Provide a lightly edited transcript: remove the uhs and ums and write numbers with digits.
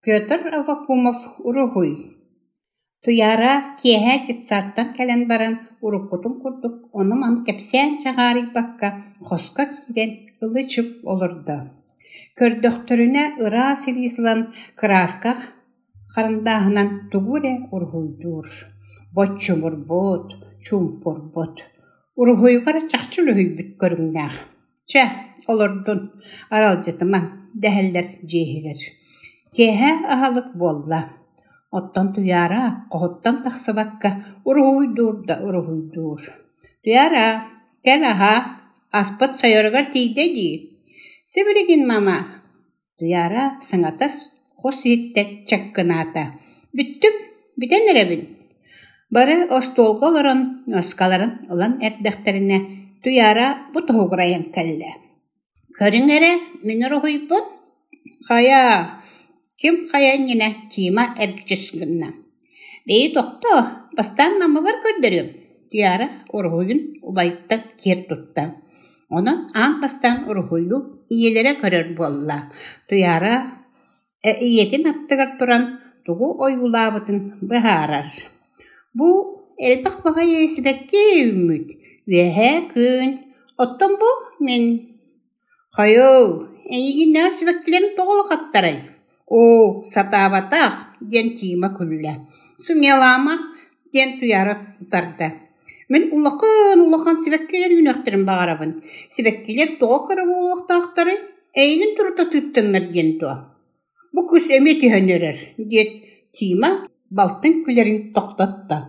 Петр Аввакумов уруһуй Туйаара киэһэ детсадтан кэлэн баран уруккутун курдук ону-маны кэпсээн чаҕаарыйбакка хоско киирэн ылы-чып олордо. Көрдөхтөрүнэ ыраас илиис ылан кырааска харандааһынан тугу эрэ уруһуйдуур, боччумурбут, чуумпурбут, уруһуйугар чахчы үлүһүйбүт көрүҥнээх. Чэ, олордун, аралдьытыма, дэһэллэр дьиэ иһигэр. Киэһэ аһылык буолла, оттон Туйаара хоһуттан тахсыбакка уруһуйдуур да уруһуйдуур. «Туйаара, кэл аһаа, аспыт сойоругар тиийдэ дии» «Сибилигин, мама» Туйаара саҥата хос иһиттэн чаккынаата: «Бүттүм, бүтэн эрэбин» Бары остуолга олорон ньуоскаларын ылан эрдэхтэринэ Туйаара бу тоһугурайан кэллэ: «Көрүҥ эрэ, мин уруһуйбун» «Хайа, ким хайа иннинэ Тима эргичис гынна: «Бэйи тохтоо, бастаан мамабар көрдөрүөм» Туйаара уруһуйун убайыттан киэр тутта. Онон аан бастаан уруһуйу ийэлэрэ көрөр буолла. Туйаара ийэтин аттыгар туран тугу ойуулаабытын быһаарар. Бу элбэх баҕайы сибэкки үүммүт, үөһээ күн, оттон бу мин «Хайыы, эйигиннээҕэр сибэккилэрин тоҕо улахаттарай?» «Оо, сатаабатах» диэн Тима күллэ. «Сымыйалаама» диэн Туйаара утарда. «Мин улахан-улахан сибэккилэр үүнүөхтэрин баҕарабын. Сибэккилэр тоҕо кыра буолуохтаахтарый? Эйигин турута тыыттыннар диэн дуо?» «Бу кыыс эмиэ түһэн эрэр» диэт Тима балтын күлэрин тохтотто.